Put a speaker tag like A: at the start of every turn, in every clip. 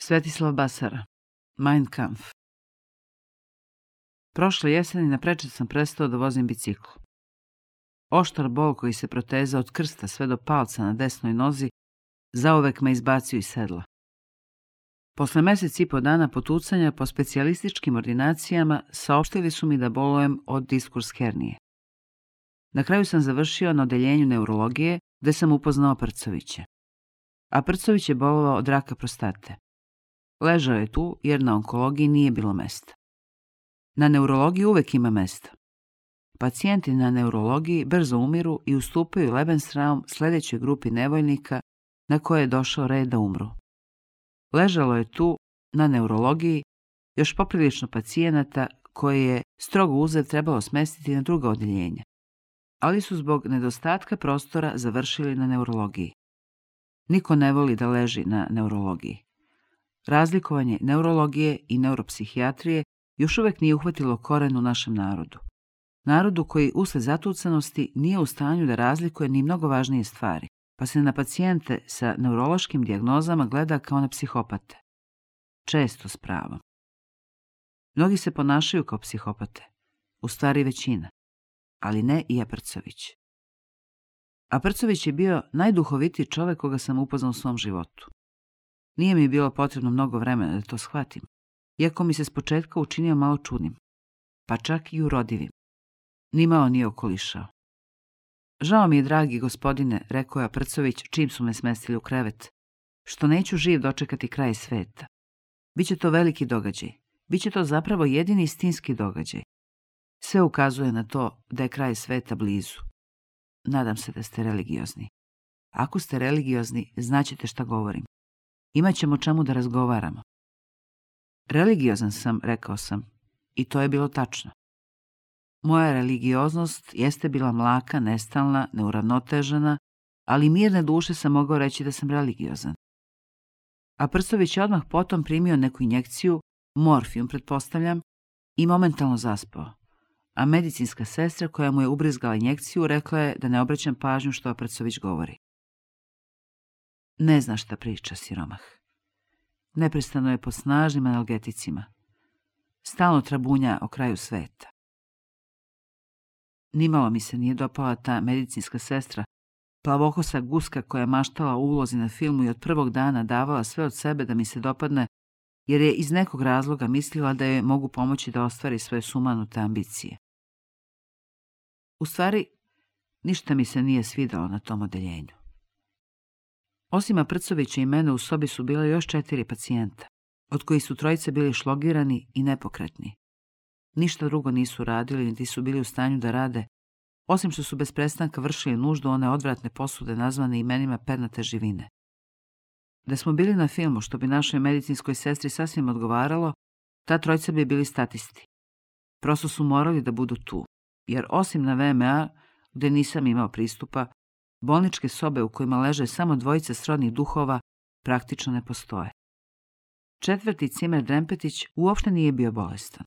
A: Svetislav Basara, Mein Kampf. Prošle jeseni naprečac sam prestao da vozim bicikl. Oštar bol koji se proteza od krsta sve do palca na desnoj nozi zauvek me izbacio iz sedla. Posle mesec i po dana potucanja po specijalističkim ordinacijama saopštili su mi da bolujem od diskurs hernije. Na kraju sam završio na odeljenju neurologije gde sam upoznao Prcovića. A Prcović je bolovao od raka prostate. Ležao je tu jer na onkologiji nije bilo mesta. Na neurologiji uvek ima mesta. Pacijenti na neurologiji brzo umiru i ustupaju Lebensraum sledećoj grupi nevoljnika na koje je došao red da umru. Ležalo je tu, na neurologiji, još poprilično pacijenata koje je strogo uzev trebalo smestiti na druga odeljenja, ali su zbog nedostatka prostora završili na neurologiji. Niko ne voli da leži na neurologiji. Razlikovanje neurologije i neuropsihijatrije još uvek nije uhvatilo koren u našem narodu. Narodu koji usled zatucanosti nije u stanju da razlikuje ni mnogo važnije stvari, pa se na pacijente sa neurološkim dijagnozama gleda kao na psihopate. Često s pravom. Mnogi se ponašaju kao psihopate, u stvari većina, ali ne i Aprcović. Aprcović je bio najduhovitiji čovek koga sam upoznao u svom životu. Nije mi bilo potrebno mnogo vremena da to shvatim, iako mi se s početka učinio malo čudnim, pa čak i urodivim. Nimalo nije okolišao. Žao mi je, dragi gospodine, rekao je Aprcović čim su me smestili u krevet, što neću živ dočekati kraj sveta. Biće to veliki događaj. Biće to zapravo jedini istinski događaj. Sve ukazuje na to da je kraj sveta blizu. Nadam se da ste religiozni. Ako ste religiozni, znaćete šta govorim. Imaćemo čemu da razgovaramo. Religiozan sam, rekao sam, i to je bilo tačno. Moja religioznost jeste bila mlaka, nestalna, neuravnotežena, ali mirne duše sam mogao reći da sam religiozan. A Prcović je odmah potom primio neku injekciju, morfijum pretpostavljam, i momentalno zaspao. A medicinska sestra koja mu je ubrizgala injekciju rekla je da ne obraćam pažnju što Prcović govori. Ne zna šta priča, siromah. Neprestano je pod snažnim analgeticima. Stalno trabunja o kraju sveta. Nimalo mi se nije dopala ta medicinska sestra, plavokosa guska koja je maštala o ulozi na filmu i od prvog dana davala sve od sebe da mi se dopadne, jer je iz nekog razloga mislila da je mogu pomoći da ostvari svoje sumanute ambicije. U stvari, ništa mi se nije svidalo na tom odeljenju. Osim Aprcovića i mene u sobi su bile još 4 pacijenta, od kojih su 3 bili šlogirani i nepokretni. Ništa drugo nisu radili, niti su bili u stanju da rade, osim što su bez prestanka vršili nuždu one odvratne posude nazvane imenima pernate živine. Da smo bili na filmu, što bi našoj medicinskoj sestri sasvim odgovaralo, ta 3 bi bili statisti. Prosto su morali da budu tu, jer osim na VMA, gde nisam imao pristupa, bolničke sobe u kojima leže samo 2 srodnih duhova praktično ne postoje. 4. Cimer Drempetić uopšte nije bio bolestan.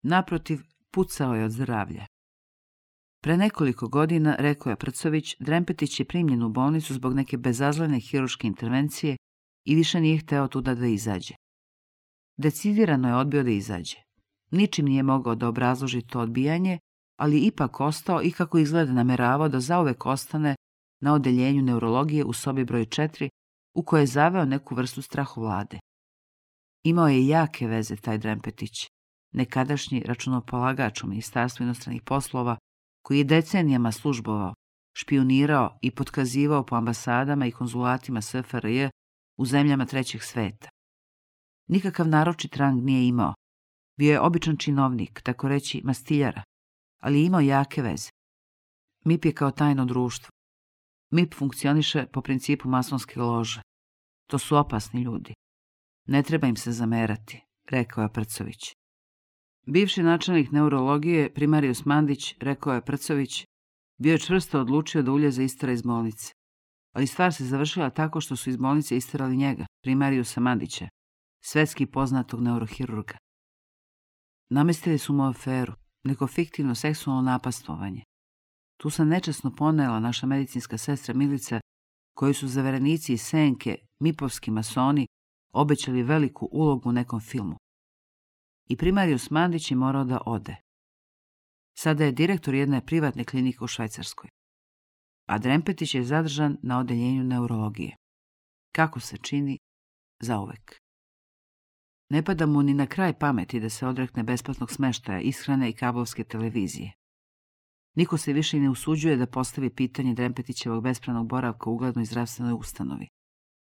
A: Naprotiv, pucao je od zdravlja. Pre nekoliko godina, rekao je Prcović, Drempetić je primljen u bolnicu zbog neke bezazlene hirurške intervencije i više nije hteo tuda da izađe. Decidirano je odbio da izađe. Ničim nije mogao da obrazloži to odbijanje, ali ipak ostao i kako izgleda nameravao da zauvek ostane na odeljenju neurologije u sobi broj 4, u kojoj je zaveo neku vrstu strahovlade. Imao je jake veze taj Drempetić, nekadašnji računopolagač u Ministarstvu inostranih poslova, koji je decenijama službovao, špijunirao i potkazivao po ambasadama i konzulatima SFRJ u zemljama trećeg sveta. Nikakav naročit rang nije imao. Bio je običan činovnik, tako reći mastiljara, ali je imao jake veze. MIP je kao tajno društvo. MIP funkcioniše po principu masonske lože. To su opasni ljudi. Ne treba im se zamerati, rekao je Prcović. Bivši načelnik neurologije, primarius Mandić, rekao je Prcović, bio je čvrsto odlučio da Uljeza istera iz bolnice. Ali stvar se završila tako što su iz bolnice isterali njega, primariusa Mandića, svetski poznatog neurohirurga. Namestili su mu aferu, neko fiktivno seksualno napastovanje. Tu se nečasno ponela naša medicinska sestra Milica, koji su zaverenici iz Senke, mipovski masoni, obećali veliku ulogu u nekom filmu. I primarijus Mandić je morao da ode. Sada je direktor jedne privatne klinike u Švajcarskoj. A Drempetić je zadržan na odeljenju neurologije. Kako se čini, zauvek. Ne pada mu ni na kraj pameti da se odrekne besplatnog smeštaja, ishrane i kablovske televizije. Niko se više ne usuđuje da postavi pitanje Drempetićevog bespravnog boravka u uglednoj zdravstvenoj ustanovi.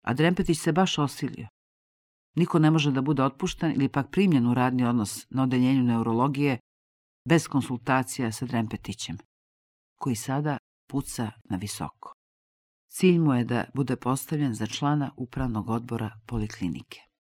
A: A Drempetić se baš osilio. Niko ne može da bude otpušten ili pak primljen u radni odnos na odeljenju neurologije bez konsultacija sa Drempetićem, koji sada puca na visoko. Cilj mu je da bude postavljen za člana upravnog odbora poliklinike.